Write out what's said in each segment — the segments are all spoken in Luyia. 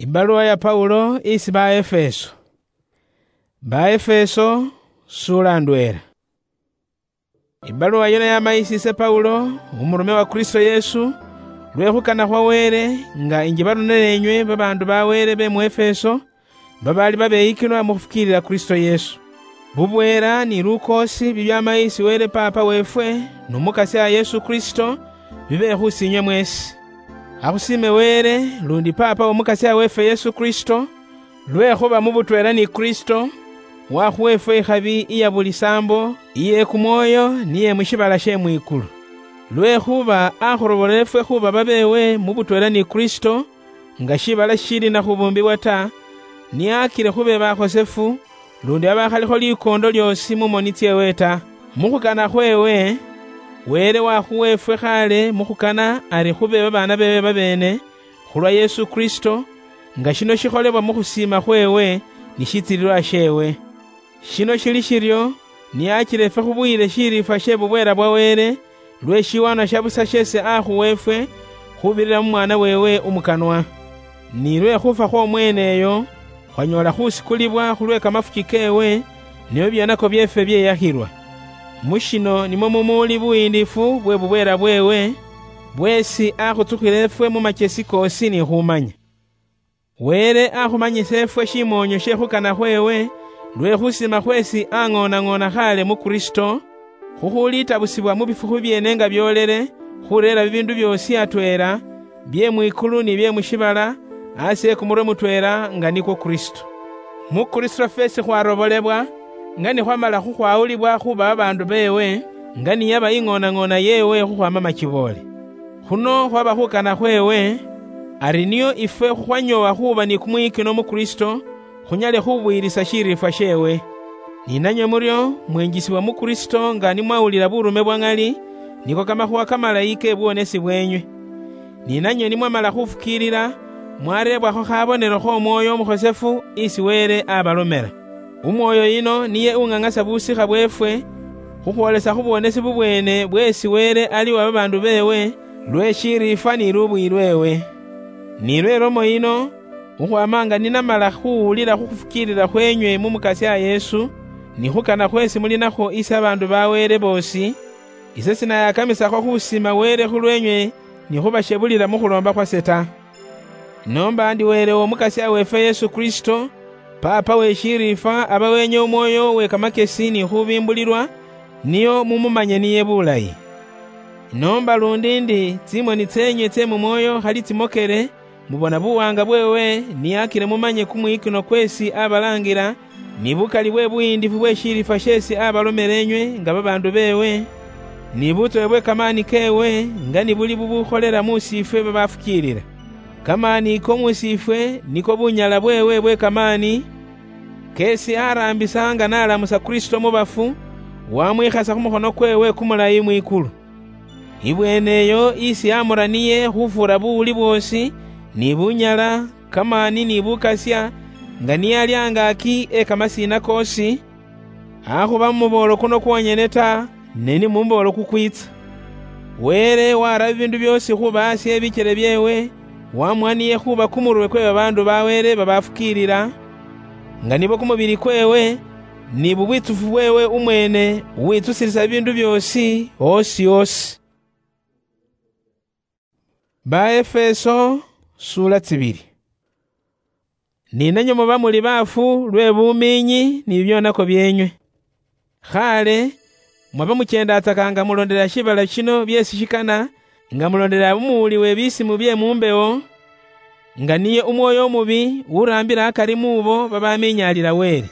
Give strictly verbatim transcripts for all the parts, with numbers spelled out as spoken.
Ibaluwa ya Paulo isi ba Efeso. Ba Efeso, sula ndwela. Ibaluwa yino yama isi ise Paulo, umurume wa Kristo Yesu, lwe khukana khwa Wele, nga injibalunela enywe babaandu ba Wele be mu Efeso, babaali babeyikilwa mu khufukiilila Kristo Yesu. Bubweela ni lukoosi bibyama isi Wele Paapa weefwe nu Mukasia Yesu Kristo, bibe khusinywe mweesi. Akhusiime Wele, lundi Paapa w'Omukasia weefwe Yesu Kristo, lwekhuba mu butweela ni Kristo, wakhuwa ifwe ikhabi iya buli saambo, iye kumwoyo, niye mu shiibala she mwikulu. Lwekhuba akhurobola ifwe khuba babeewe mu butweela ni Kristo, nga shiibala shishili na khubumbibwa ta, niye akile khube bakhosefu, lundi abakhalikho likoondo lyoosi mu moni tseewe ta. Mu khukana khweewe, Wele wakhuwa ifwe khaale mu khukana ari khube babaana beewe babeene, khulwa Yesu Kristo, nga shino shikholebwa mu khusiima khweewe ni shitsililwa sheewe. Shino shili shiryo, niyachile ifwe khubuyile shiriifwa she bubweela bwa Wele, lwe shiwanwa sha busa shesi akhuwa ifwe, khubirira mu Mwana weewe umukanwa. Ni lwe khufa khw'omwene eyo, khwanyoola khusikulibwa khulwe kamafuki keewe, nio byonako byeefwe byeyakhilwa. Mu shino nimwo mumuuli buyiindifu bwe bubweela bweewe, bweesi akhutsukhila ifwe mu machesi koosi ni khumanya. Wele akhumanyisa ifwe shimoonyo she khukana khweewe, lwe khusima khweesi ang'oonang'oona khaale mu Kristo, khukhulitabusibwa mu bifukhu byeene nga byoolele, khureera bibiindu byoosi atweela, bye mwikulu ni bye mu shiibala, asi e kumurwe mutweela, nga nikwo Kristo. Mu Kristo fweesi khwarobolebwa, nga ni khwamala khukhwawulibwa khuba babaandu beewe, nga niyaba ing'oonang'oona yeewe khukhwaama machiboole. Khuno khwaba khukana khweewe, ari nio ifwe khukhwanyoowa khuuba ni kumwiyikino mu Kristo, khunyale khubuyirisa shiriifwa sheewe. Ni nanywe muryo mwenjisibwa mu Kristo nga nimwawulila burume bwa ŋali, niko kamakhuwa kamalayi ke buwonesi bweenywe. Ni nanywe nimwamala khufukiilila, mwareebwakho khabonelo kh'Omwoyo Omukhosefu isi Wele abalomela. Umwoyo yino niye ung'ang'asa busikha bweefwe, khukhwolesa khu bwonesi bubweene bweesi Wele ali uwa babaandu beewe, lwe shiriifwa ni lubuyi lweewe. Ni lwe lomo yino, khukhwaama nga ninamala khuwulila khu khufukiilila khweenywe mu Mukasia Yesu, ni khukana khweesi muli nakhwo isi abaandu ba Wele boosi, ise sinayakamisakho khusiima Wele khulweenywe ni khubashebulila mu khuloomba khwase ta. Inoomba ndi Wele w'Omukasia weefwe Yesu Kristo, Paapa we shiriifwa, aba weenywe umwoyo we kamakesi ni khubimbulilwa, nio mumumanye niye bulayi. Inoomba lundi ndi tsimoni tseenywe tsye mu mwoyo khali tsimokele, mubona buwaanga bweewe, niyakile mumanye kumwikino kweesi abalaangila, ni bukali bwe buyiindifu bwe shiriifwa sheesi abalomela enywe nga babaandu beewe, ni butsowe bwe kamaani keewe, nga ni buli bubukholela mu siifwe babafukiilila. Kamaani ko mu siifwe niko bunyala bweewe bwe kamaani, keesi araambisa nga nalamusa Kristo mu bafu, wamwikhasa khu mukhono kweewe kumulayi mwikulu. Ibweene eyo isi amura niye khufuura buwuli bwoosi, ni bunyala, kamaani ni bukasia, nga niye ali angaaki e kamasiina koosi, akhuba mu muboolo kuno kwonyene ta, ne ni mu muboolo kukwitsa. Wele wara bibiindu byoosi khuba asi e bikyele byeewe, wamuwa niye khuba kumurwe kwe babaandu ba Wele babafukiilila, nga nibo kumubili kweewe, ni bubwitsufu bweewe umweene uwitsusilisa bibiindu byoosi, osi osi. Ba Efeso, sula tsibili. Ni nanywe muba muli baafu lwe bumiinyi ni bibyonako byeenywe. Khaale, mwaba mucheendatsaka nga mulondela shibala shino byeesi shikana, nga mulondela umuwuli we bisimu bye mu mbewo, nga niye umwoyo omubi uraambila akari muubo babamiinyaalila Wele.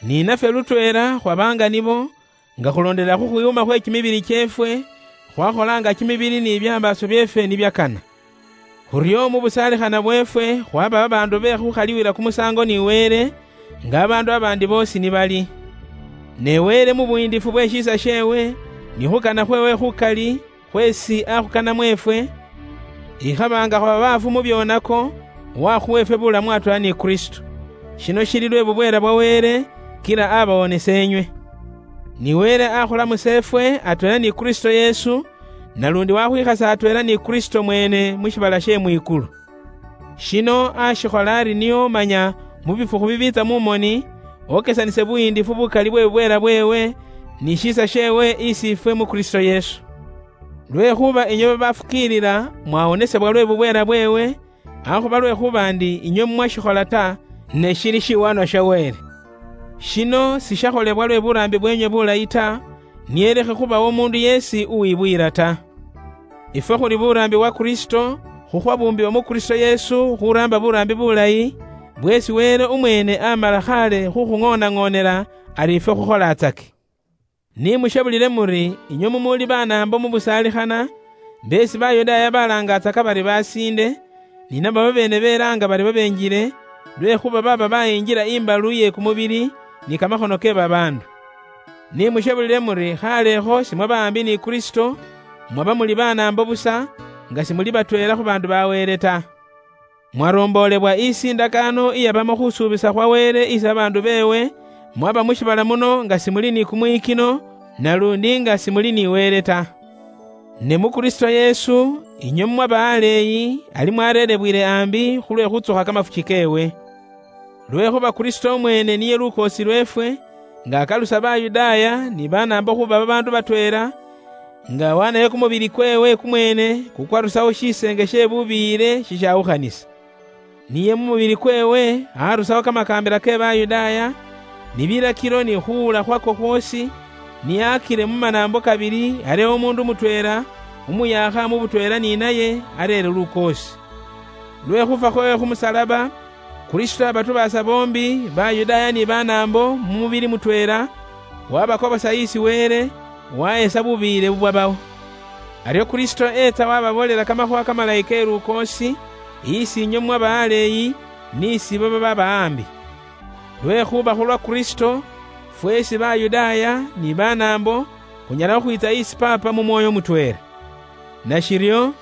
Ni nafwe lutweela khwaba nga nibo, nga khulondela khu khwiwuma khwe kimibili kyeefwe, khwakholanga kimibili ni biambaaso byeefwe nibyakana. Khuryo mu busaalikhana bweefwe khwaba babaandu be khukhaliwila kumusaango ni Wele, nga abaandu abaandi boosi nibali. Ne Wele mu buyiindifu bwe shiisa sheewe, ni khukana khweewe khukali, khweesi akhukana mweefwe, ikhaba nga khwaba baafu mu byonako, wakhuwa ifwe bulamu atweela ni Kristo. Shino shili lwe bubweela bwa Wele, kila abawonesa enywe. Ni Wele akhulamusa ifwe atweela ni Kristo Yesu, nalundi wakhwikhasa atweela ni Kristo mweene mu shibala she mwikulu. Shino ashikhola ari nio manya mu bifukhu bibiitsa mu moni, okesanise buhindifu bukali bwe bubweela bweewe, ni shiisa sheewe isi ifwe mu Kristo Yesu. Lwekhuba inywe babafukiilila mwawonesebwa lwe bubweela bweewe, akhuba lwekhuba ndi inywe mwashikhola ta, ne shili shiwanwa sha Wele. Shino sishakholebwa lwe buraambi bweenywe bulayi ta, niye lekhe khubawo omundu yeesi uwibuyila ta. Ifwe khuli buraambi bwa Kristo, khukhwabumbiwa mu Kristo Yesu khuraamba buraambi bulayi, bweesi Wele umweene amala khaale khukhung'oonang'oonela ari ifwe khukholaatsake. Ni mushabulile muri inywe mumuuli banaambo mu busaalikhana, beesi Bayudaaya balaangatsaka bari basiinde, ni nabo babeene belaanga bari babenjile, lwekhuba baaba bayinjila imbalu ye kumubili ni kamakhono ke babaandu. Ni mushabulile muri khaaleekho simwaba aambi ni Kristo, mwaba muli banaambo busa, nga simuli batweela khu baandu ba Wele ta. Mwaroomboolebwa isi indakaano iyabamo khusuubisa khwa Wele isi babaandu beewe, mwaba mu shiibala muno nga simuli ni kumwikino, nalundi nga simuli ni Wele ta. Ne mu Kristo Yesu, inywe mwaba aleeyi, ali mwareerebwile aambi khulwe khutsukha kamafuki keewe. Lwekhuba Kristo umweene niye lukoosi lweefwe, nga akalusa Bayudaaya ni banaambo khuba babaandu batweela, nga wanayo kumubili kweewe kumweene kukwarusawo shiseenge she bubiyile shishawukhanisa. Niye mu mubili kweewe arusawo kamakaambila ke Bayudaaya, ni bilakilo ni khuwula khwako khwoosi, niyakile mu manaambo kabili arewo umuundu mutweela, umuyaakha mu butweela ni naye areere lukoosi. Lwe khufa khweewe khu musalaba, Kristo abatubaasa boombi, Bayudaaya ni banaambo mu mubili mutweela, wabakobosa isi Wele, wahesa bubiyile bubwabawo. Aryo Kristo etsa wababoolela kamakhuwa kamalayi ke lukoosi, isi inywe mwaba aleeyi, ni isi ibo bababa aambi. Lwekhuba khulwa Kristo, fweesi Bayudaaya ni banaambo, khunyala khukhwiitsa isi Paapa mu mwoyo mutweela. Nashiryo,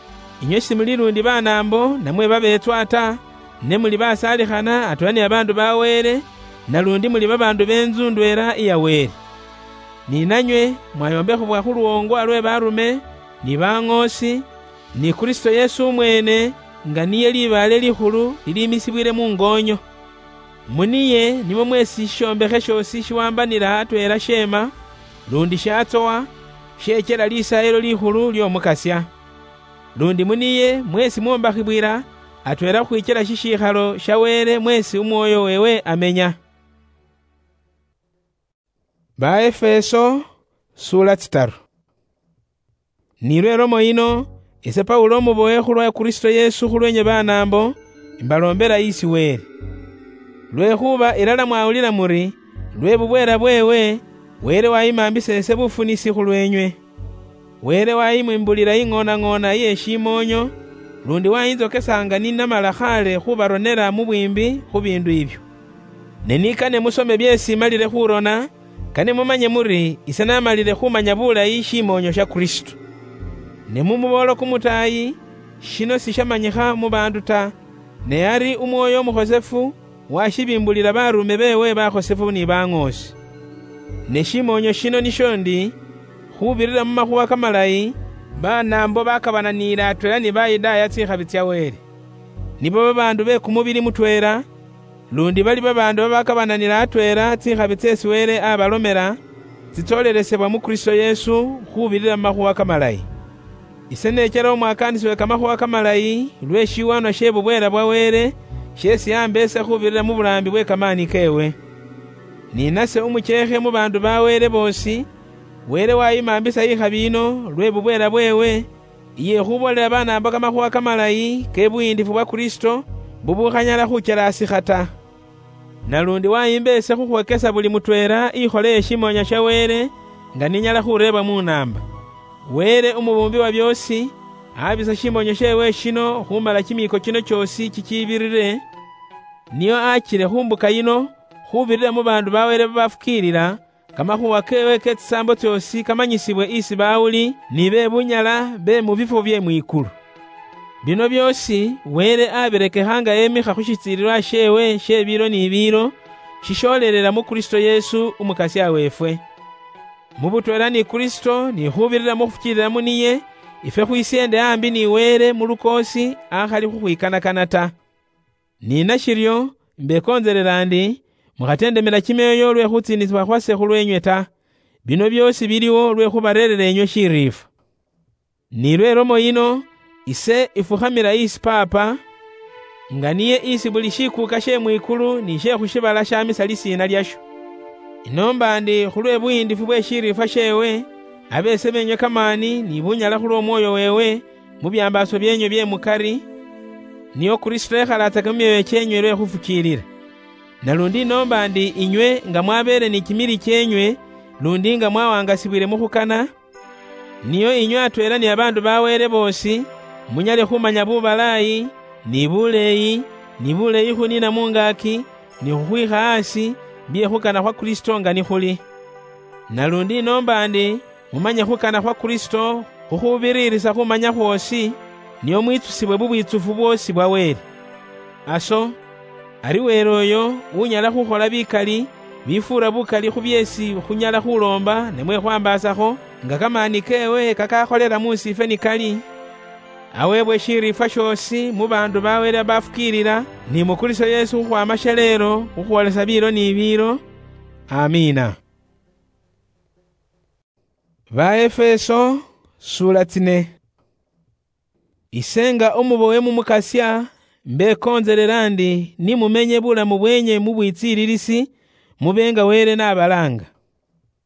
inywe simuli lundi banaambo namwe babeetswa ta, ne muli basaalikhana atweela ni babaandu ba Wele, nalundi muli babaandu be ntsu ndweela iya Wele. Ni nanywe mwayombekhebwa khu luwoongwa lwe barume, ni baŋoosi, ni Kristo Yesu umweene, nga niye libaale likhulu liliimisibwile mu ngoonyo. Mu niye nimwo mweesi shishombekhe shoosi shiwambanila atweela sheema, lundi shatsowa, shechela Lisaayilo Likhulu ly'Omukasya. Lundi mu niye mweesi mwombakhibwila atweela khukhwichela shishikhalo sha Wele mweesi Umwoyo weewe amenya. Baefeso, sura tsitaru. Ni lwe lomo yino, ise Paulo umubowe khulwa Kristo Yesu khulwenywe banaambo, imbalombela isi Wele. Lwekhuba ilala mwawulila muri, lwe bubweela bweewe, Wele wayimambisa ise bufunisi khulwenywe. Wele wayimwimbulila ing'oonang'oona iye shimoonyo, lundi wayinzokesa nga ninamala khale khubaronela mu bwiimbi khu biindu ibyo. Ne nikane musome byeesi imalile khurona, kane mumanye muri ise namalile khumanya bulayi shimoonyo sha Kristo. Ne mu muboolo kumutaayi, shino sishamanyikha mu baandu ta, ne ari Umwoyo Umukhosefu washibimbulila barume beewe bakhosefu ni baŋoosi. Ne shimoonyo shino nisho ndi, khubirira mu makhuwa kamalayi, banaambo bakabananiile atweela ni Bayudaaya tsikhabi tsya Wele. Nibo babaandu be kumubili mutweela, lundi bali babaandu babakabananila atweela tsikhabi tseesi Wele abalomela, tsitsoolelesebwa mu Kristo Yesu khubirira mu makhuwa kamalayi. Ise nechela umwakaanisi we kamakhuwa kamalayi lwe shiwanwa she bubweela bwa Wele, sheesi amba ise khubirira mu buraambi bwe kamaani keewe. Ni nase umuchekhe mu baandu ba Wele boosi, Wele wayimambisa ikhabi yino lwe bubweela bweewe, iye khuboolela banaambo kamakhuwa kamalayi ke buyiindifu bwa Kristo, bubukhanyala khuchelaasikha ta. Nalundi wayimba ise khukhwokesa buli mutweela ikhole ye shimoonya sha Wele, nga ninyala khureeba mu naamba. Wele umubuumbi wa byoosi, abisa shimoonya sheewe shino khumala kimiiko kino kyoosi kikiibirire, nio achile khu mbuka yino, khubirira mu baandu ba Wele babafukiilila, kamakhuwa keewe ke tsisaambo tsyoosi kamanyisibwe isi bawuli ni be bunyala be mu bifwo bye mwikulu. Bino byoosi Wele abirekekha nga emikha khu shitsiililwa sheewe she biilo ni biilo, shishoolelela mu Kristo Yesu Umukasya weefwe. Mu butweela ni Kristo ni khubirira mu khufukiilila mu niye, ifwe khwisyeende ambi ni Wele mu lukoosi akhali khukhwikanakana ta. Ni nashiryo, mbekonzelela ndi, mukhatendemela chimyoyo lwe khutsinisibwa khwase khulwenywe ta. Bino byosi biliwo lwe khubarerera enywe shiriifwa. Ni lwe lomo yino, ise ifukhamila isi Paapa, nga niye isi buli shikuuka she mwikulu ni she khushibala shamisa lisiina lyasho. Inoomba ndi khulwe buhindifu bwe shiriifwa sheewe, abeese benywe kamaani ni bunyala khulw'omwoyo weewe mu byambaaso byenywe bye mukari, nio Kristo ekhalatsake mu myoyo kyenywe lwe khufukiilila. Nalundi inoomba ndi inywe nga mwabeele ni kimili kyenywe, lundi nga mwawangasibwile mukhukana, nio inywe atweela ni babaandu ba Wele boosi, munyale khumanya bubalaayi, ni buleeyi, ni buleeyi khuniina mungaaki, ni khukhwiikha aasi, bye khukana khwa Kristo nga nikhuli. Nalundi inoomba ndi mumanye khukana khwa Kristo khukhubiriirisa khumanya khwoosi, nio mwitsusibwe bubwitsufu bwoosi bwa Wele. Aso, ari Wele oyo unyala khukhola bikali bifuura bukali khu byeesi khunyala khuloomba namwe khwambaasakho, nga kamaani keewe kakakholela mu siifwe nikali, aweebwe shiriifwa shoosi mu baandu ba Wele babafukiilila, ni mu Kristo Yesu khukhwaama shaleelo khukhwoolesa biilo ni biilo. Amiina. Baefeso, sula tsine. Ise nga umubowe mu Mukasya, mbekonzelela ndi ni mumenye bulamu bwenye mu bwitsiililisi, mube nga Wele n'abalaanga.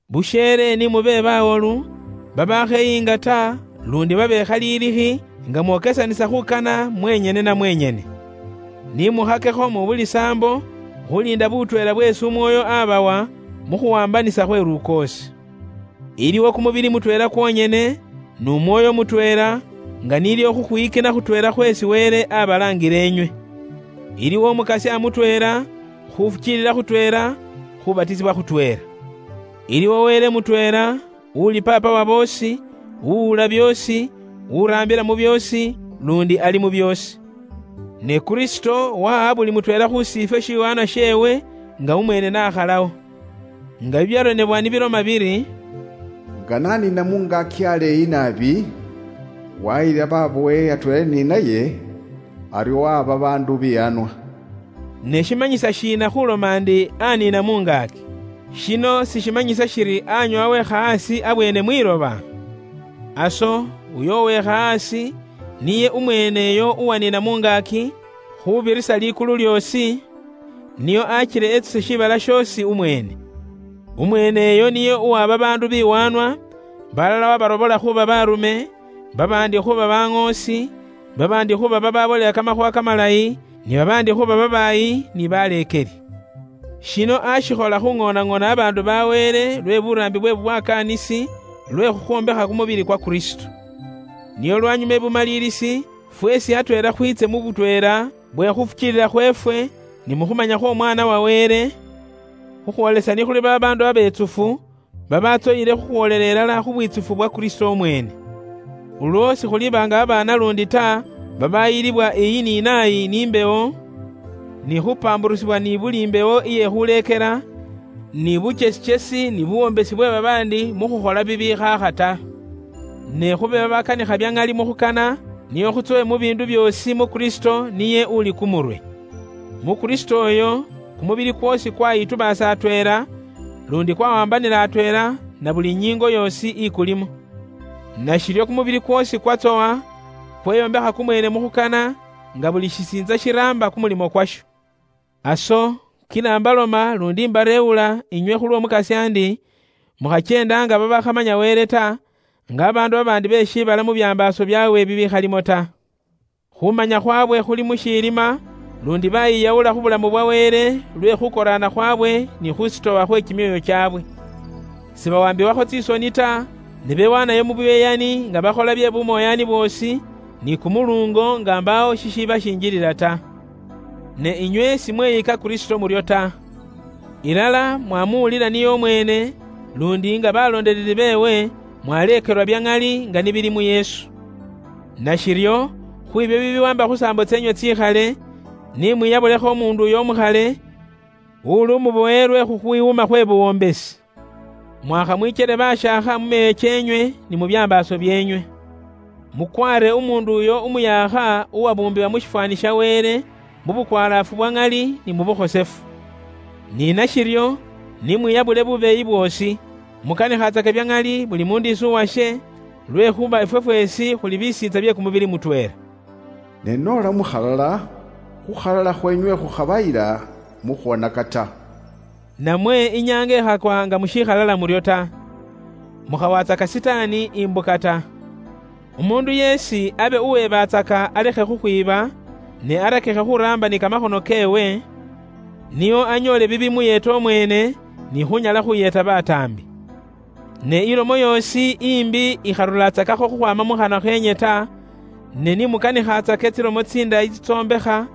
Busheele ni mube bawolu, babakheyinga ta, lundi babekhaliilikhi, nga mwokesanisa khukana mwenyene na mwenyene. Ni mukhakekho mu buli saambo, khuliinda butweela bweesi Umwoyo abawa mu khuwambanisa khwe lukoosi. Iliwo kumubili mutweela kwonyene, nu Mwoyo mutweela, nga nilyo khukhwiyikina khutweela khweesi Wele abalaangile inywe. Iliwo Umukasya mutweela, khufukiilila khutweela, khubatisibwa khutweela. Iliwo Wele mutweela, uuli Paapa wa boosi, uwuula byoosi, uraambila mu byoosi, lundi ali mu byoosi. Ne Kristo waha buli mutweela khu siifwe shiwaanwa sheewe nga umweene n'akhalawo. Nga bibyaronebwa nibiloma biri, "Nga naniina mungaaki aleeyi naabi, wayila babowe atweela ni naye, aryo waba baandu biyaanwa." Ne shimanyisa shiina khuloma ndi aniina mungaaki? Shino sishimanyisa shiri anywa wekha asi abweene mwiloba? Aso, uyo uwekha asi, niye umweene uyo uwaniina mungaaki, khubirisa likulu lyoosi, nio achile etsuse shiibala shoosi umweene. Umweene uyo niye uwa babaandu biwaanwa, balala wabarobola khuuba baarume, babaandi khuuba baŋoosi, babaandi khuuba bababolela kamakhuuwa kamalayi, ni babaandi khuuba babaayi ni baleekeli. Shino ashikhola khuŋoonaŋoona babaandu ba Wele lwe buraambi bwe bubwakaanisi, lwe khukhwombekha kumubili kwa Kristo. Nio lwanyuma ebumaliirisi, fweesi atweela khwiitse mu butweela bwe khufukiilila khweefwe ni mu khumanya khw'Omwaana wa Wele, khukhwoolesa nikhuli babaandu abeetsufu, babatsoyile khukhwoolela ilala khu bwiitsufu bwa Kristo umweene. Ulwo sikhuliba nga babaana lundi ta, babayilibwa iyi ni nayi ni imbewo, ni khupamburusibwa ni buli imbewo iye khuleekela, ni buchesichesi ni buwombesi bwe babaandi mu khukhola bibiikhaakha ta. Ne khube babakanikha bya ŋali mu khukana, nio khutsowe mu biindu byoosi mu Kristo niye uli kumurwe. Mu Kristo oyo, kumubili kwoosi kwayitubaasa atweela, lundi kwawambanila atweela na buli inyiingo yoosi ikulimo. Nashiryo kumubili kwoosi kwatsowa, kweyombekha kumweene mu khukana, nga buli shisiintsa shiraamba kumulimo kwasho. Aso, kila mbaloma lundi mbareewula inywe khulw'Omukasya ndi, mukhacheenda nga babakhamanya Wele ta, nga babaandu babaandi be shiibala mu byambaaso byaawe bibikhalimo ta. Khumanya khwabwe khuli mu shiilima, lundi bayiyawula khu bulamu bwa Wele lwe khukoraana khwabwe ni khusitowa khwe kimyoyo kyaabwe. Sibawambiwakho tsisoni ta, ne bewanayo mu buyeyani nga bakhola bye bumoyani bwoosi, ni kumuluungo nga mbaawo shishiba shinjilila ta. Ne inywe simweyika Kristo muryo ta. Ilala mwamuwulila niye omweene, lundi nga baloondeleli beewe, mwaleekelwa bya ŋali nga nibili mu Yesu. Nashiryo, khwibyo bibiwamba khu saambo tseenywe tsikhale, ni mwiyabulekho omuundu uyo omukhale, uli umubowe lwe khukhwiwuma khwe buwombesi. Mwakhamwichele bashaakha mu meyo keenywe ni mu byambaaso byeenywe. Mukwaare umuundu uyo umuyaakha uwabuumbiwa mu shifwaani sha Wele, mubukwalaafu bwa ng'ali ni mubukhosefu. Ni nashiryo, ni mwiyabule bubeeyi bwoosi, mukanikhatsake bya ng'ali buli mundu isi uwashe, lwekhuba ifwe fweesi khuli bisiitsa bye kumubili mutweela. Ne nola mukhalala, khukhalala khwenywe khukhabayila mukhwonaka ta. Namwe inyanga ikhakwa nga mushikhalala muryo ta, mukhawatsaka Sitaani imbuka ta. Umundu yeesi abe uwebatsaka alekhe khukhwiba, ne arakikhe khuramba ni kamakhono keewe, nio anyoole bibi muyeeta omweene, ni khunyala khuyeeta bataambi. Ne ilomo yoosi imbi ikharulatsakakho khukhwaama mu khanwa kheenywe ta, ne ni mukanikhatsake tsilomo tsindayi tsitsombekha,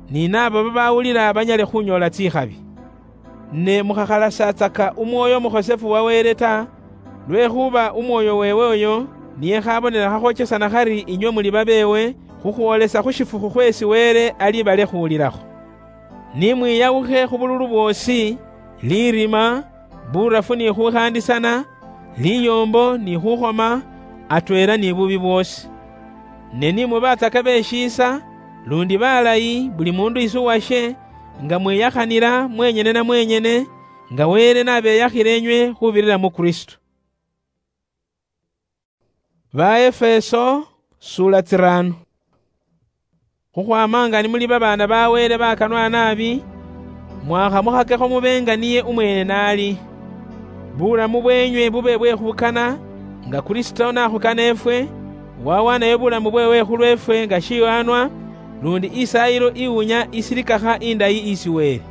ni naabo babawulila banyale khunyoola tsikhabi. Ne mukhakhalasatsaka Umwoyo Umukhosefu wa Wele ta, lwekhuba Umwoyo weewe oyo niye khabonela khakhwochesana khari inywe muli babeewe, khukhwoolesa khu shifukhu khweesi Wele alibalekhuulilakho. Ni mwiyawukhe khu bululu bwoosi, lirima, burafu ni khukhandisana, liyoombo ni khukhoma, atweela ni bubi bwoosi. Ne ni mubatsaka beshiisa, lundi balayi, buli mundu isi uwashe, nga mwiyakhanila mwenyene na mwenyene, nga Wele nabeyakhile inywe khubirira mu Kristo. Baefeso, sula tsirano. Khukhwama nga ni muli babaana ba Wele bakanwa naabi, mwakhamukhakekho mube nga niye umweene naali. Bulamu bweenywe bube bwe khukana, nga Kristo nakhukana efwe, wawanayo bulamu bweewe khulwefwe nga shiyoanwa, lundi isaayilo iwunya isilikakha indayi isi Wele.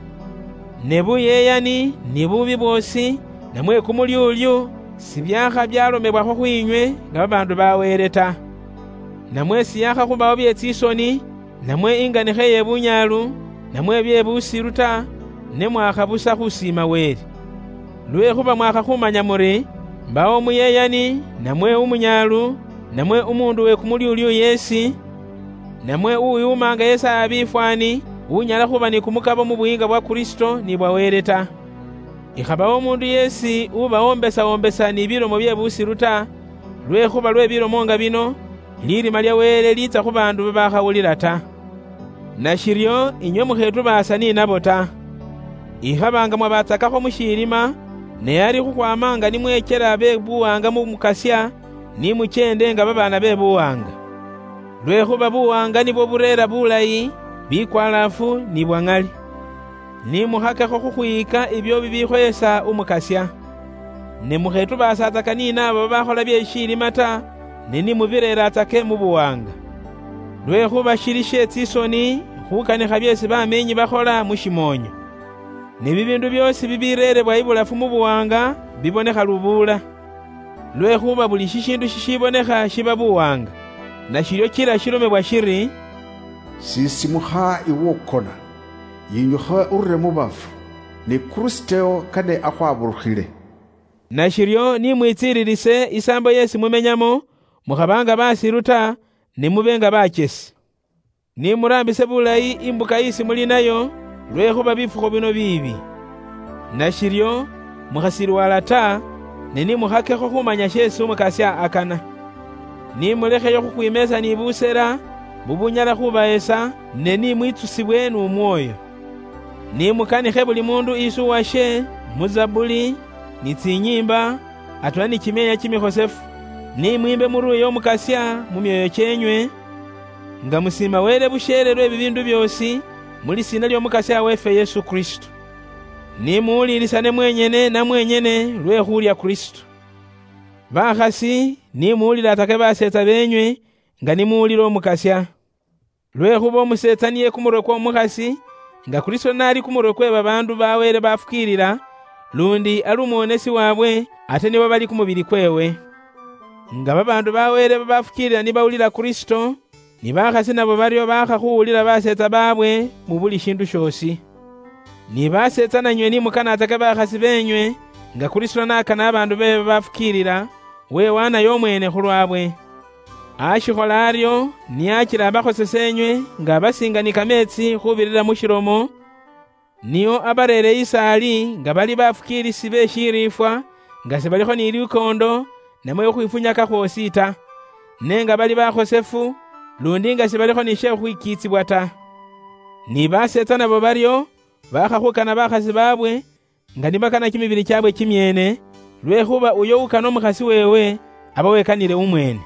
Ne buyeyani, ni bubi bwoosi, namwe kumulyulyu, sibyakha byalomebwakhwo khwinywe nga babaandu ba Wele ta. Namwe siyakhakhubawo bye tsisoni, namwe inganikha iye bunyaalu, namwe bye busiru ta, ne mwakha busa khusiima Wele. Lwekhuba mwakha khumanya muri, mbawo umuyeyani, namwe umunyaalu, namwe umuundu we kumulyulyu yeesi, namwe uwiwumaanga yesaaya bifwaani, unyala khuba ni kumukabo mu buyiinga bwa Kristo ni bwa Wele ta. Ikhabawo umuundu yeesi ubawombesa-wombesa ni bilomo bye busiru ta, lwekhuba lwe bilomo nga bino, lirima lya Wele liitsa khu baandu babakhawulila ta. Nashiryo inywe mukhetubaasa ninabo ta. Ikhaba nga mwabatsakakho mu shiilima, ne ari khukhwama nga nimwechela be buwaanga mu Mukasya, nimucheende nga babaana be buwaanga. Lwekhuba buwaanga nibwo bureera bulayi, bikwalaafu ni bwa ŋali. Ni mukhakekho khukhwiyika ibyo bibikhoyesa Umukasya. Ne mukhetubaasatsaka ni naabo babakhola bye shiilima ta, ne ni mubireeratsake mu buwaanga. Lwekhuba shili she tsisoni khukanikha byeesi bameenyi bakhola mu shimoonyo. Ne bibiindu byoosi bibireerebwa ibulafu mu buwaanga bibonekha lubuula. Lwekhuba buli shishiindu shishibonekha shiba buwaanga, nashiryo kila shilomebwa shiri, "Sisimukha iwe ukona, yinyukha urule mu bafu, ni Kristo kane akhwaburukhile." Nashiryo ni mwitsiililise isaambo yeesi mumenyamo, mukhaba nga basiru ta, ne mube nga bachesi. Ni muraambise bulayi imbuka isi muli nayo, lwekhuba bifukhu bino biibi. Nashiryo, mukhasilwala ta, ne ni mukhakekho khumanya sheesi Umukasya akana. Ni mulekheyo khukhwimeesa ni busela, bubunyala khubahesa, ne ni mwitsusibwe nu Mwoyo. Ni mukanikhe buli mundu isi uwashe, mu Zabuli, ni tsinyiimba, atweela ni kimyeenya kimikhosefu. Ni mwiimbe muruuye Umukasya mu myoyo kyeenywe, nga musiima Wele busheele lwe bibiindu byoosi, mu lisiina ly'Omukasya weefwe Yesu Kristo. Ni muwulilisyane mwenyene na mwenyene lwe khulya Kristo. Bakhasi, ni muwulilatsake baseetsa beenywe, nga ni muwulila Omukasya. Lwekhuba omuseetsa niye kumurwe kw'omukhasi, nga Kristo n'ali kumurwe kwe babaandu ba Wele bafukiilila, lundi ali umwonesi waabwe, ate nibo bali kumubili kweewe. Nga babaandu ba Wele babafukiilila nibawulila Kristo, ni bakhasi nabo baryo baakha khuwulila baseetsa baabwe mu buli shiindu shoosi. Ni baseetsa nanywe ni mukanatsake bakhasi beenywe, nga Kristo n'akana abaandu beewe babafukiilila, wewanayo omweene khulwabwe. Ashikhola aryo, niye achila abakhosese enywe nga abasiinga ni kameetsi khubirira mu shilomo, nio abareere isaali nga bali bafukiilisi be shiriifwa, nga sibalikho ni lukoondo, namwe khukhwifunyaka khwoosi ta, ne nga bali bakhosefu, lundi nga sibalikho ni she khukhwikiitsibwa ta. Ni baseetsa nabo baryo, bakhakhukana bakhasi babwe, nga nibakana kimibili kyabwe kimyeene, lwekhuba uyo ukana umukhasi weewe, aba wekanile umweene.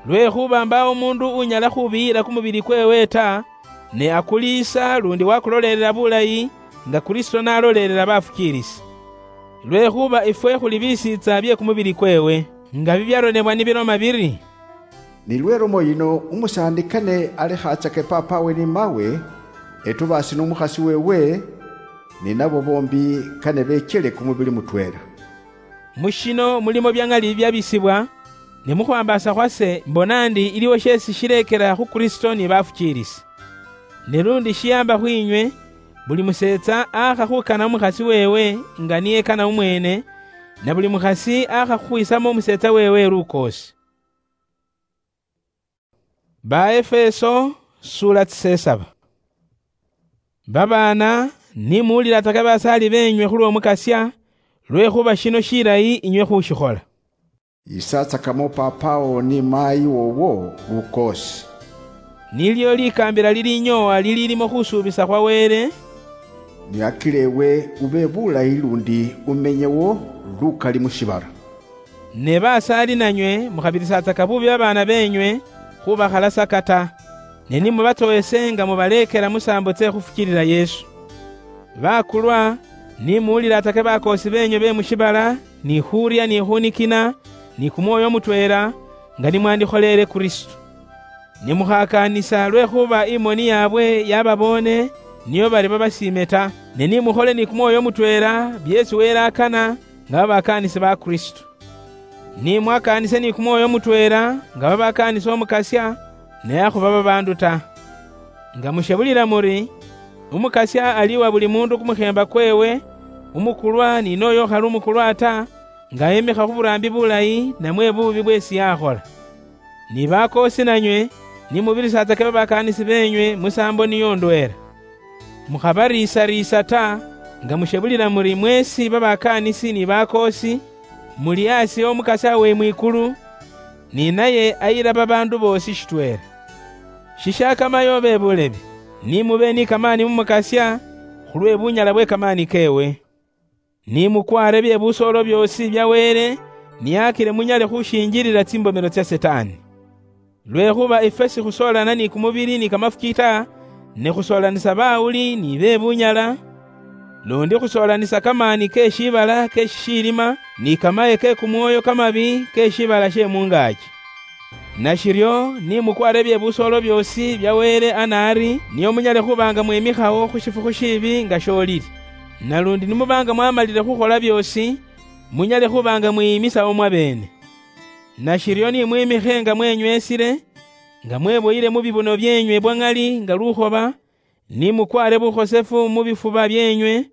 Lwekhuba mbaawo umuundu unyala khubiyila kumubili kweewe ta, ne akuliisa lundi wakulolelela bulayi, nga Kristo n'alolelela bafukiilisi. Lwekhuba ifwe khuli bisiitsa bye kumubili kweewe, nga bibyaronebwa nibiloma biri, "Ni lwe lomo yino umusaani kane alekhatsake paapawe ni maawe, etubaasi n'umukhasi weewe, ni nabo boombi kane beechele kumubili mutweela." Mu shino mulimo bya ŋali byabisibwa, ne mu khwambaasa khwase mbona ndi iliwo sheesi shileekela khu Kristo ni bafukiilisi. Ne lundi shiyaamba khwinywe, buli museetsa aakha khukana umukhasi weewe nga niye ekana umweene, na buli mukhasi aakha khukhwiisamo umuseetsa weewe lukoosi. Ba Efeso, sura tsisesaba. Babaana, ni muwulilatsaka basaali beenywe khulw'Omukasya, lwekhuba shino shilayi inywe khushikhola. Yisatsakamo papawo ni maayi wowo lukoosi. Nilyo likaambila lilinyoowa lililimo khusuubisa khwa Wele. Ni akile ewe ube bulayi lundi umenyewo lukali mu shibala. Ne basaali nanywe mukhabirisatsaka bubi babaana beenywe khubakhalasaka ta, ne nimubatsowese nga mubaleekela musaambo tse khufukiilila Yesu. Bakulwa, ni muwulilatsake bakoosi beenywe be mu shibala, ni khurya, ni khunikina, ni kumwoyo mutweela, nga ni mwandikholeele Kristo. Ni mukhakaanisa lwekhuba imoni yaabwe yababoone, niyo bari babasiime ta, ne ni mukhole ni kumwoyo mutweela byeesi Wele akana, nga babakaanisi ba Kristo. Ni mwakaanise ni kumwoyo mutweela, nga babakaanisa Omukasya, ne akhuba babaandu ta. Nga mushebulila muri, Umukasya ali uwa buli muundu kumukheemba kweewe, umukulwa ni n'oyo ukhali umukulwa ta, nga emikha khu buraambi bulayi namwe buubi bweesi yakhola. Ni bakoosi nanywe, ni mubirisatsake babakaanisi beenywe musaambo niyo ndweela. Mukhabariisariisa ta, nga mushebulila muri mweesi babakaanisi ni bakoosi, muli asi Omukasya we mwikulu, ni naye ayila babaandu boosi shitweela. Shishakamayo be bulebi, ni mube ni kamaani mu Mukasya, khulwe bunyala bwe kamaani keewe. Ni mukwaare bye busoolo byoosi bya Wele, ni akile munyale khushinjilila tsimbomelo tsya Sitaani. Lwekhuba ifwe sikhusoolana ni kumubili ni kamafuki ta, ne khusoolanisa bawuli ni be bunyala, lundi khusoolanisa kamaani ke shiibala ke shishiilima, ni kamaye ke kumwoyo kamabi ke shiibala she mungaaki. Nashiryo, ni mukwaare bye busoolo byoosi bya Wele anaari, nio munyale khuba nga mwimikhawo khu shifukhu shiibi nga shoolili. Nalundi ni muba nga mwamalile khukhola byoosi, munyale khuba nga mwiyimisawo mwabeene. Nashiryo ni mwimikhe nga mwenyweesile, nga mweboyile mu bibuno byeenywe bwa ŋali nga lukhoba, ni mukwaare bukhosefu mu bifuba byeenywe,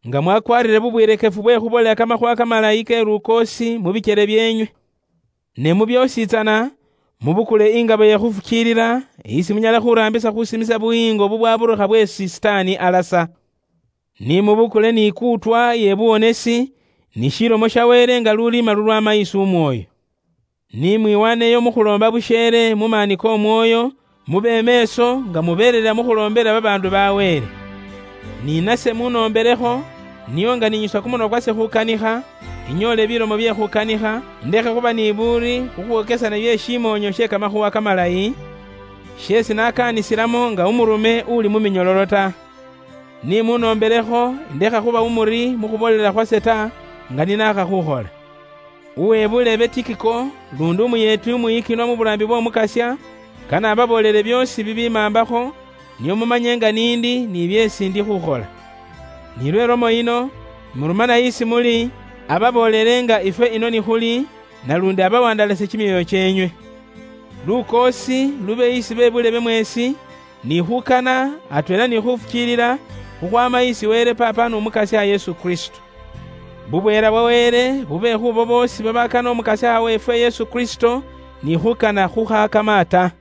nga mwakwarire bubwirekefu bwe khubolela kamakhuwa kamalayi ke lukoosi mu bikyele byeenywe. Ne mu byoosi tsana, mubukule ingabo ye khufukiilila, isi munyala khuraambisa khusimisa buyiingo bubwaburukha bweesi Sitaani alasa. Ni mubukule ni ikuutwa ye buwonesi, ni shilomo sha Wele nga luliima lulwama isi Umwoyo. Ni mwiwaneyo mu khuloomba busheele mu maani k'Omwoyo, mube meeso nga mubeelela mu khuloombela babaandu ba Wele. Ni nase munoomberekho, nio nga ninyusa kumunwa kwase khukanikha, inyoole bilomo bye khukanikha, ndekhe khuba ni buuri khu khwokesana bye shimoonyo she kamakhuwa kamalayi, sheesi nakaanisilamo nga umurume uli mu minyololo ta. Ni munoomberekho, ndekha khuba umuri mu khuboolela khwase ta, nga ninaakha khukhola. Uwe buleebe Tikiko, lundi umuyeeti umuyikinwa mu buraambi bw'Omukasya, kane ababoolele byoosi bibimaambakho, nio mumanye nga niindi ni byeesi ndi khukhola. Ni lwe lomo yino, murumana isi muli, ababoolele nga ifwe ino nikhuli, nalundi abawandalasye kimyoyo kyeenywe. Lukoosi lube isi be buleebe mweesi, ni khukana atweela ni khufukiilila khukhwaama isi Wele Paapa n'Omukasya Yesu Kristo. Bubweela bwa Wele bube khubo boosi babakana Omukasya weefwe Yesu Kristo, ni khukana khukhaakama ta.